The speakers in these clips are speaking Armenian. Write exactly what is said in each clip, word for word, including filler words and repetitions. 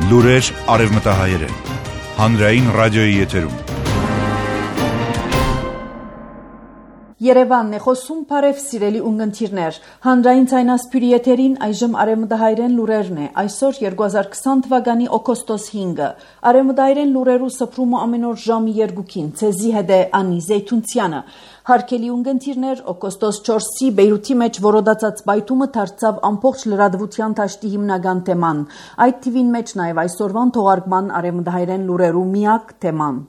Լուրեր արևմտահայերեն։ Հանրային ռադիոյի եթերում։ Երևանն է խոսում, բարև սիրելի ունգընթիրներ։ Հանրային ցայնասպյուրի եթերին այժմ արևմտահայերեն լուրերն է։ Այսօր երկու հազար քսան թվականի օգոստոս հինգը։ Արևմտահայերեն լուրերու սփռումը ամեն օր ժամի երկուքին։ Ցեզի հետ է Անի Զեյթունցյանը։ Հարկելի ունգընթիրներ, օգոստոս չորսի Բեյրութի մեջ որոդացած բայթումը դարձավ ամբողջ լրատվության դաշտի հիմնական թեման։ Այդ թիվին մեջ նաև այսօրվան թողարկման արևմտահայերեն լուրերու միակ թեման։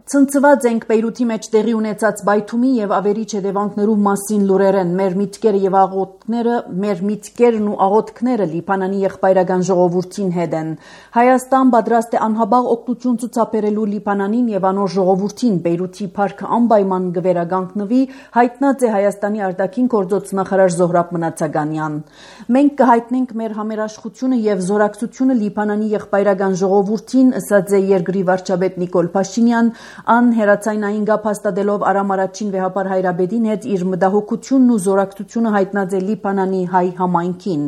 Ցնցված ենք Բեյրութի մեջ տեղի ունեցած բայթումի եւ ավերիչ հետևանքներու մասին լուրերեն մեր միտքերը եւ աղոթքները մեր միտքերն ու աղոթքները Լիբանանի եղբայրական ժողովրդին հետ են Հայաստան պատրաստ է անհաբաղ օգնություն ցուցաբերելու Լիբանանին եւ անոր ժողովրդին Բեյրութի парքը անպայման գվերագանքնվի հայտնած է Հայաստանի արտաքին գործոց նախարար Զոհրաբ Մնացականյան մենք կհայտնենք մեր համերաշխությունը եւ զորակցությունը Լիբանանի եղբայրական ժողովրդին ըսած է երկրի վարչապետ Նիկոլ Փաշինյան Ան հերացայնային գապ հաստատելով Արամ առաջին վեհապար Հայրաբեդին հետ իր մտահոգությունն ու զորակցությունը հայտնած է Լիբանանի հայ համայնքին։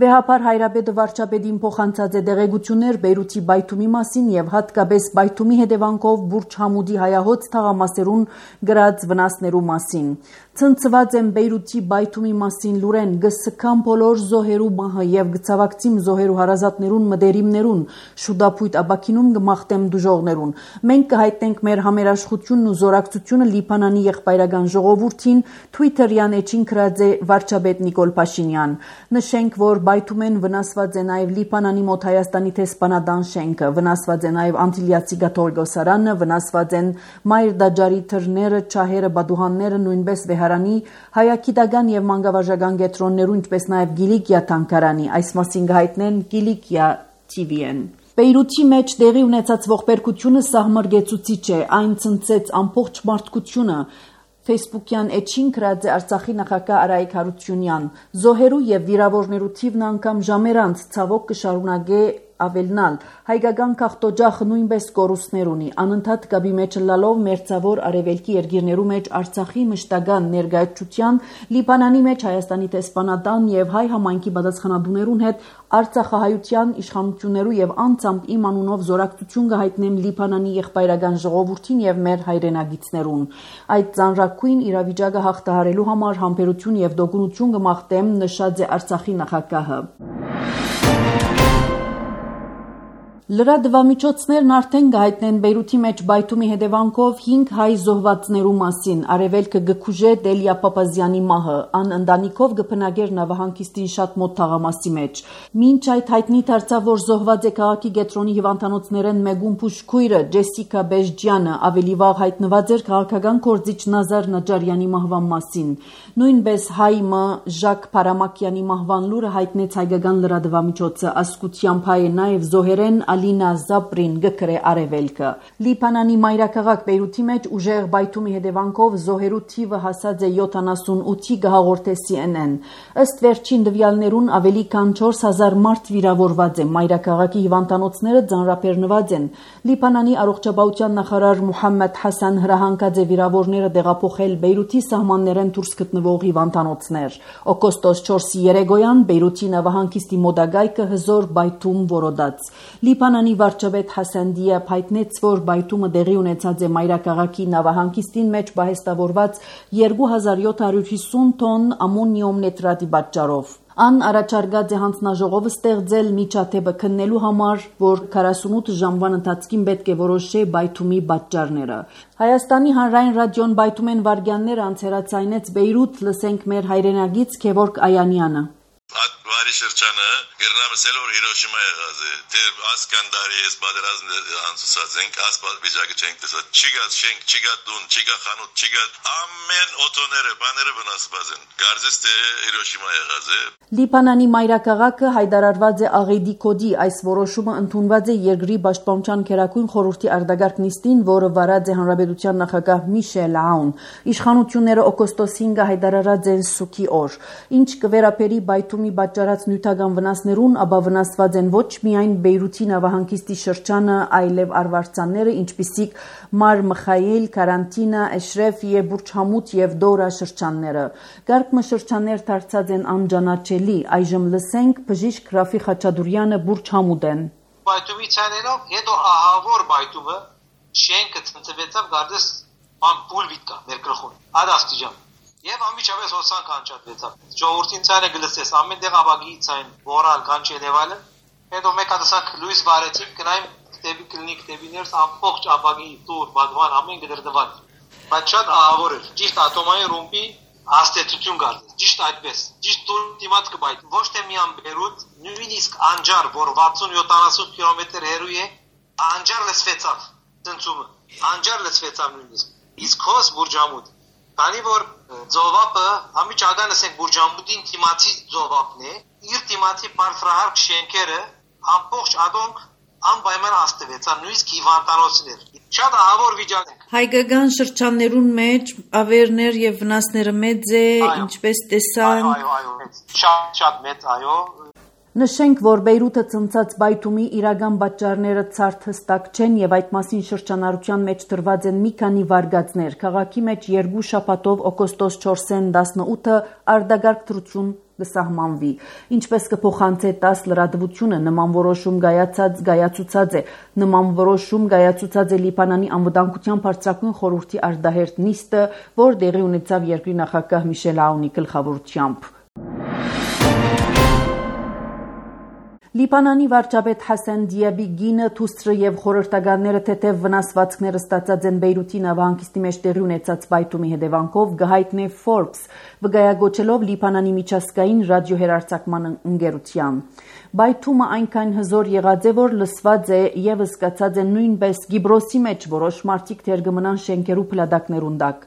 Վեհապար Հայրաբեդը վարչապետին փոխանցած է դեղեցություններ Բեյրութի բայթումի մասին եւ հատկապես բայթումի հետևանքով Բուրջ Համուդի հայահոց թաղամասերուն գրած վնասներու մասին։ Ցնցված եմ Բեյրութի բայթումի մասին լուրեն գսկան բոլոր զոհերու մահը եւ գծավակցիմ զոհերու հարազատներուն մդերիմներուն շուդապույտ աբակինում գմախտեմ դուժողներուն։ Մենք կհայտնենք մեր համերաշխությունն ու զորակցությունը Լիբանանի եղբայրական ժողովրդին Twitter-յան էջին գրած է վարչապետ Նիկոլ Փաշինյան։ Նշենք, որ բայթումեն վնասված է նաև Լիբանանի մոտ Հայաստանի տեսփանադան շենքը, վնասված է նաև Անտիլիացի գաթողիկոսարանը, վնասված են Մայր Դաջարի թռները, չահերը, բադուհանները, նույնպես Վեհարանի հայագիտական եւ մանկավարժական կենտրոններու, ինչպես նաև Գիլիկիա թանգարանի, այս մասին կհայտնեն Գիլիկիա T V-ն։ Բեյրութի մեջ տեղի ունեցած ողբերգությունը սահմռգեցուցիչ է, այն ցնցեց ամբողջ մարդկությունը։ Facebook-յան էջին գրած է Արցախի նախագահ Արայիկ Հարությունյան։ Զոհերու եւ վիրավորներու թիվն անգամ ժամեր անց ցավոք կշարունակե ավելնալ հայկական քաղտոջախը նույնպես կորուստներ ունի անընդհատ գաբի մեջ լալով մերձավոր արևելքի երկիրներու մեջ Արցախի մշտական ներկայացության Լիբանանի մեջ Հայաստանի տեսփանադան եւ հայ համայնքի պատասխանատուներուն հետ Արցախահայության իշխանություններու եւ անձամբ իմ անունով զորակցություն կհայտնեմ Լիբանանի եղբայրական ժողովրդին եւ մեր հայրենագիտներուն այդ ծանրակույն իրավիճակը հաղթահարելու համար համբերություն եւ դոգունություն կմաղթեմ նշած է Արցախի նախագահը Լրատվամիջոցներն արդեն կհայտնեն Բեյրութի մեջ բայթումի հետևանքով հինգ հայ զոհվածներու մասին արևելքը գկուժե Դելիա Պապազյանի մահը ան ընտանիքով գփնագեր նավահանգիստին շատ մոտ թաղամասի մեջ մինչ այդ հայտնի դարձավ որ զոհված է քաղաքի գետրոնի հիվանդանոցներեն Մեգուն Փուշկույրը Ջեսիկա Բեժջյանը ավելի վաղ հայտնված էր քաղաքական գործիչ Նազար Նաջարյանի մահվան մասին նույնպես հայ մը Ժակ Փարամակյանի մահվան լուրը հայտնեց հայկական լրատվամիջոցը ասկությամբ հայը նաև զոհերեն Ալինա Զապրին գկրե արևելքը Լիբանանի մայրաքաղաք Բեյրութի մեջ ուժեղ բայթումի հետևանքով զոհերու թիվը հասած է յոթանասունութի գահաղորդե C N N ըստ վերջին տվյալներուն ավելի քան չորս հազար մարդ վիրավորված է մայրաքաղաքի հիվանդանոցները ձանրաբեռնված են Լիբանանի առողջապահության նախարար Մուհամմեդ Հասան հրահանգած է վիրավորները տեղափոխել Բեյրութի սահմաններեն դուրս գտնվող հիվանդանոցներ օգոստոս չորսի երեկոյան Բեյրութի նավահանգիստի մոտակայքը հզոր բայթում որոդաց Լիբանանի վարչապետ Հասան Դիաբ հայտնեց, որ բայթումը տեղի ունեցած է մայրաքաղաքի նավահանգիստին մեջ պահեստավորված երկու հազար յոթ հարյուր հիսուն տոն ամոնիում նիտրատի պատճառով։ Ան առաջարկած է հանձնաժողովը ստեղծել միջադեպը քննելու համար, որ քառասունութ ժամվան ընթացքին պետք է որոշե բայթումի պատճառները։ Հայաստանի հանրային ռադիոն բայթումեն վարգյաններ անցերացայնեց Բեյրութ, լսենք մեր հայրենագից Գևորգ Այանյանը։ Բարի շրջանը Գերնամսել որ Հիրոշիմա եղած է դեր ասկանդարի էս բادرազն անցուցած ենք ասպալ վիճակը չենք տեսած չիգա շենք չիգա դուն չիգա խանութ չիգա ամեն օտոները բաները վնասված են գարձես թե Հիրոշիմա եղած է Լիբանանի մայրաքաղաքը հայտարարված է աղեդի կոդի այս որոշումը ընդունված է երկրի պաշտպանության քերակույն խորհրդի արտագաղթ նիստին որը վարած է հանրապետության նախագահ Միշել Աուն իշխանությունները օգոստոս հինգը հայտարարած են սուքի օր ինչ կվերապերի բայթումի պատճառ կատարած նյութական վնասներուն, ապա վնասված են ոչ միայն Բեյրութի նավահանգիստի շրջանը, այլև արվարձանները, ինչպիսիք Մար Մխայիլ, Կարանտինա, Էշրեֆ եւ Բուրջ Համութ եւ Դորա շրջանները։ Գարկմը շրջաններ դարձած են անջանաչելի, այժմ լսենք բժիշկ Ռաֆի Խաչատուրյանը Բուրջ Համութեն։ Բայթումի ցանելով հետո ահավոր բայթումը շենքը ծնծվեցավ գարդես ամպուլ վիտկա ներկրխուն ադաստիջան եւ ամիջապես հոսան կանչատվեցավ ժողովրդին ցանը գլսես ամեն դեղ աբագի ցան որալ կանչելեվալը հետո մեկ հատասակ լուիս վարեցիք կնայմ տեբի կլինիկ տեբիներս ամբողջ աբագի տուր բադվան ամեն գդրդված բայց շատ ահավոր էր ճիշտ ատոմային ռումբի աստեցություն գարդես ճիշտ այդպես ճիշտ տուր դիմաց կբայթ ոչ թե միան Բեյրութ նույնիսկ անջար որ վաթսուն յոթանասուն կիլոմետր հեռու է անջար լսվեցավ ծնծումը անջար լսվեցավ նույնիսկ իսկ հոս Բուրջ Համութ քանի որ ծովապը ամիջական ասենք Բուրջ Համութին թիմացի ծովապն է իր թիմացի բարձրահարկ շենքերը ամբողջ ադոնք անպայման աստվեցան նույնիսկ հիվանդանոցներ շատ ահավոր վիճակ է Հայկական շրջաններուն մեջ ավերներ եւ վնասները մեծ է ինչպես տեսան այո այո այո շատ շատ մեծ այո Նշենք, որ Բեյրութը ծնծած բայթումի իրական պատճառները ցարտ հստակ չեն եւ այդ մասին շրջանառության մեջ տրված են մի քանի վարկածներ։ Քաղաքի մեջ երկու շաբաթով օգոստոս չորսին տասնութը արդագարգ դրություն կսահմանվի։ Ինչպես կփոխանցե տաս լրատվությունը նման որոշում գայացած գայացուցած է։ Նման որոշում գայացուցած է Լիբանանի անվտանգության բարձրագույն խորհրդի արտահերթ նիստը, որ դեղի ունեցավ երկրի նախագահ Միշել Աունի գլխավորությամբ։ Լիբանանի վարչապետ Հասան Դիաբի գինը թուստրը եւ խորհրդականները թեթև վնասվածքները ստացած են Բեյրութի նավահանգիստի մեջ տեղի ունեցած բայթումի հետևանքով գահիտնե Forbes վկայագոչելով Լիբանանի միջազգային ռադիոհեռարձակման ընկերության Բայթումը այնքան հզոր եղած է, որ լսված է եւ զգացած է նույնպես Գիբրոսի մեջ որոշ մարդիկ դեր կմնան շենքերու փլադակներուն տակ։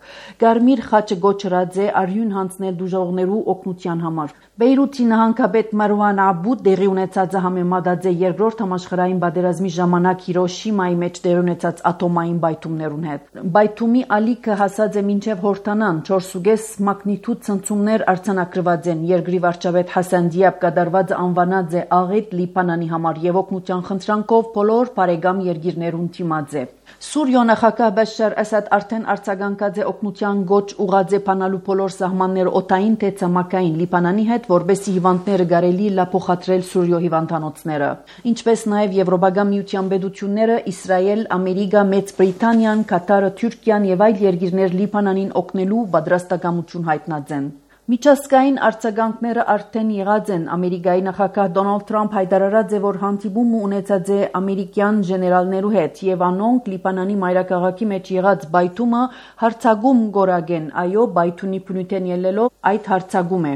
Գարմիր խաչը գոչրած է արյուն հանձնել դժողներու օգնության համար։ Բեյրութի նահանգապետ Մարուան Աբուդ դեղի ունեցածը համեմատած է երկրորդ համաշխարհային պատերազմի ժամանակ Հիրոշիմայի մեջ տեղի ունեցած ատոմային բայթումներուն հետ։ Բայթումի ալիքը հասած է մինչև հորթանան չորս կես մագնիտուդ ցնցումներ արձանագրված են։ Երկրի վարչապետ Հասան Դիաբ կատարվածը անվանած է աղետ Լիբանանի համար եւ օգնության խնդրանքով բոլոր բարեկամ երկիրներուն թիմած է։ Սուրիա նախագահ Բաշար Ասադ արդեն արձագանքած է օգնության գոչ ուղղած է բանալու բոլոր սահմանները օտային թե ցամաքային Լիբանանի հետ, որբեսի հիվանդները կարելի լա փոխադրել Սուրիո հիվանդանոցները։ Ինչպես նաեւ Եվրոպական միության պետությունները Իսրայել, Ամերիկա, Մեծ Բրիտանիան, Կատարը, Թուրքիան եւ այլ երկիրներ Լիբանանին օգնելու պատրաստակամություն հայտնած են։ Միջազգային արձագանքները արդեն եղած են։ Ամերիկայի նախագահ Դոնալդ Թրամփ հայտարարած է, որ հանդիպում ունեցած է ամերիկյան ժեներալներու հետ եւ անոնք Լիբանանի մայրաքաղաքի մեջ եղած բայթումը հարցագում գորագեն։ Այո, բայթունի փնույթեն ելնելով այդ հարցագում է։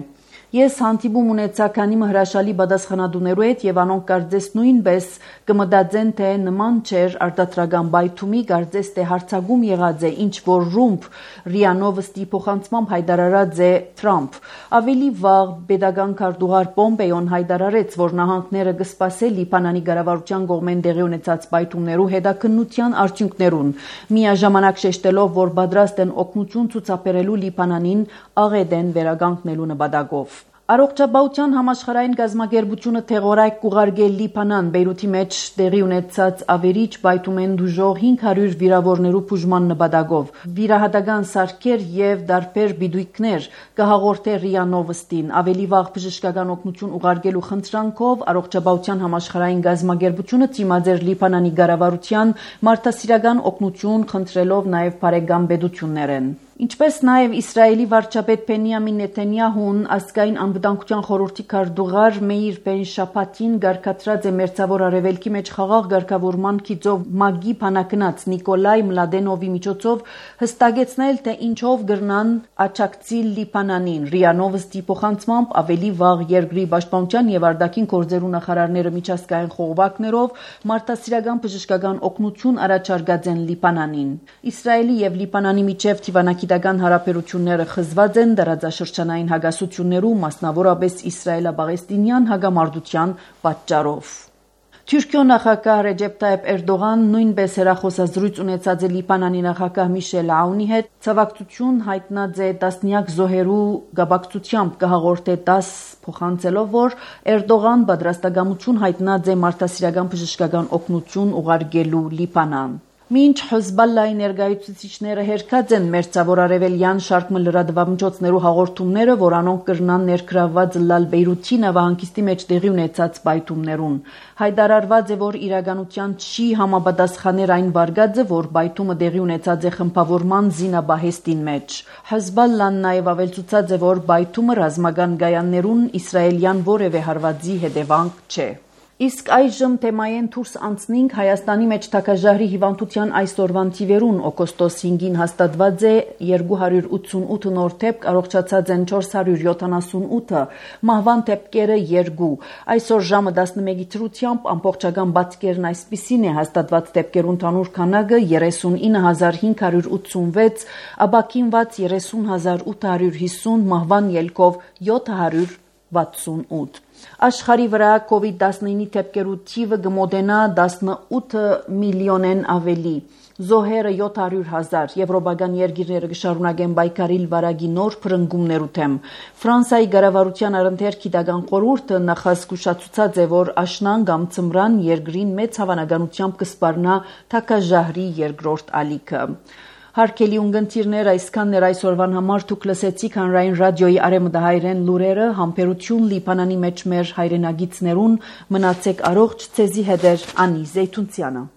Ես հանդիպում ունեցա քանի հրաշալի պատասխանատուներու հետ եւ անոնք կարծես նույնպես կմտածեն թե նման չէր արտադրական բայթումի կարծես թե հարցագում եղած է ինչ որ ռումբ Ռիանովստի փոխանցմամբ հայտարարած է Թրամփ ավելի վաղ pedagogan քարտուղար Պոմպեոն հայտարարեց որ նահանգները կսպասեն Լիբանանի կառավարության կողմեն տեղի ունեցած բայթումներու հետաքննության արդյունքներուն միաժամանակ շեշտելով որ պատրաստ են օգնություն ցուցաբերելու Լիբանանին աղեդեն վերագանքնելու նպատակով Առողջապահության համաշխարհային գազམ་ակերպությունը թեղորայք կուղարկել Լիբանան Բեյրութի մեջ տեղի ունեցած ավերիչ բայթումեն դուժող հինգ հարյուր վիրավորներու բուժման նպատակով վիրահատական սարքեր եւ դարբեր բիդույքներ կհաղորդե ՌԻԱ Նովոստին ավելի վաղ բժշկական օգնություն ուղարկելու խնդրանքով առողջապահության համաշխարհային գազམ་ակերպությունը դիմաց էր Լիբանանի կառավարության մարդասիրական օգնություն խնդրելով նաեւ բարեկամ պետություններ են Ինչպես նաև Իսրայելի վարչապետ Բենյամին Նեթանյահուն ազգային անվտանգության խորհրդի քարտուղար Մեիր Բեն-Շապատին գարկատրած է մերձավոր արևելքի մեջ խաղաղ ղեկավարման քիծով ՄԱԳ-ի բանակնած Նիկոլայ Մլադենովի միջոցով հստակեցնել թե ինչով գրնան աջակցել Լիբանանին ՌԻԱ Նովոստի փոխանցմամբ ավելի վաղ երկրի պաշտպանության եւ արտաքին գործերու նախարարները միջազգային խողովակներով մարդասիրական բժշկական օգնություն առաջարկած են Լիբանանին Իսրայելի եւ Լիբանանի միջև թիվանակի Գիտական հարաբերությունները խզված են դարաձաշրջանային հագասություններու մասնավորապես իսրայելա-պաղեստինյան հագամարտության պատճառով։ Թուրքիո նախագահ Ռեջեփ Տայիփ Էրդողան նույնպես հեռախոսազրույց ունեցած է Լիբանանի նախագահ Միշել Աունի հետ, ցավակցություն հայտնած է տասնյակ զոհերու գաբակցությամբ կհաղորդե դաս փոխանցելով, որ Էրդողան պատրաստակամություն հայտնած է մարդասիրական բժշկական օգնություն ուղարկելու Լիբանան։ Մինչ Հեզբոլլայի ներկայացուցիչները հերքած են մերձավոր արևելյան շարք լրատվամիջոցներու հաղորդումները, որ անոնք կրնան ներգրավված լալ Բեյրութի նավահանգիստի մեջ տեղի ունեցած պայթումներուն։ Հայտարարված է, որ իրականության չի համապատասխաներ այն վարկածը, որ պայթումը տեղի ունեցած է խմբավորման զինաբահեստին մեջ։ Հեզբոլլան նաև ավելցուցած է, որ պայթումը ռազմական գայաններուն իսրայելյան որևէ հարվածի հետևանք չէ։ Իսկ այժմ թեմայեն դուրս անցնենք Հայաստանի մեջ թագաժահրի հիվանդության այսօրվան թիվերուն օգոստոս հինգին հաստատված է երկու հարյուր ութսունութ նոր դեպք, առողջացած են չորս հարյուր յոթանասունութը, մահվան դեպքերը երկու։ Այսօր ժամը տասնմեկի դրությամբ ամբողջական բացկերն այսպիսին է հաստատված դեպքերու ընդհանուր քանակը երեսունինը հազար հինգ հարյուր ութսունվեց, ապաքինված երեսուն հազար ութ հարյուր հիսուն, մահվան ելքով յոթ հարյուր վաթսունութ։ Աշխարհի վրա կովիդ տասնինը դեպքերու թիվը կմոտենա տասնութ միլիոնեն ավելի։ Զոհերը յոթ հարյուր հազար, եվրոպական երկիրները կշարունակեն պայքարիլ վարակի նոր փրկումներու թեմ։ Ֆրանսիայի կառավարության առընթեր գիտական խորհուրդը նախազգուշացուցած է, որ աշնան կամ ցմրան երկրին մեծ հավանականությամբ կսպառնա թագաժահրի երկրորդ ալիքը։ Հարկելի ունգընտիրներ, այսքանն էր այսօրվան համար, դուք լսեցիք հանրային ռադիոյի արևմտահայերեն լուրերը, համբերություն Լիբանանի մեջ մեր հայրենագիցներուն, մնացեք առողջ, ցեզի հետ էր Անի Զեյթունցյանը։